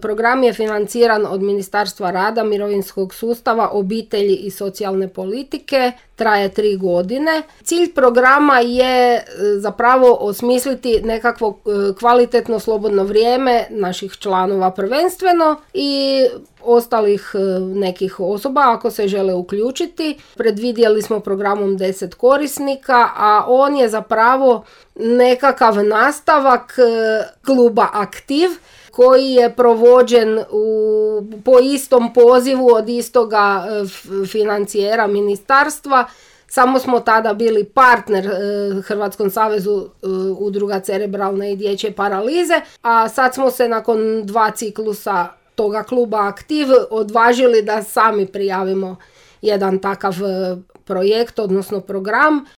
Program je financiran od Ministarstva rada, mirovinskog sustava, obitelji i socijalne politike, traje 3 godine. Cilj programa je zapravo osmisliti nekakvo kvalitetno slobodno vrijeme naših članova prvenstveno i ostalih nekih osoba ako se žele uključiti. Predvidjeli smo programom 10 korisnika, a on je zapravo nekakav nastavak kluba Aktiv koji je provođen po istom pozivu od istoga financijera ministarstva. Samo smo tada bili partner Hrvatskom savezu udruga cerebralne i dječje paralize, a sad smo se nakon 2 ciklusa toga kluba Aktiv odvažili da sami prijavimo jedan takav projekt, odnosno program.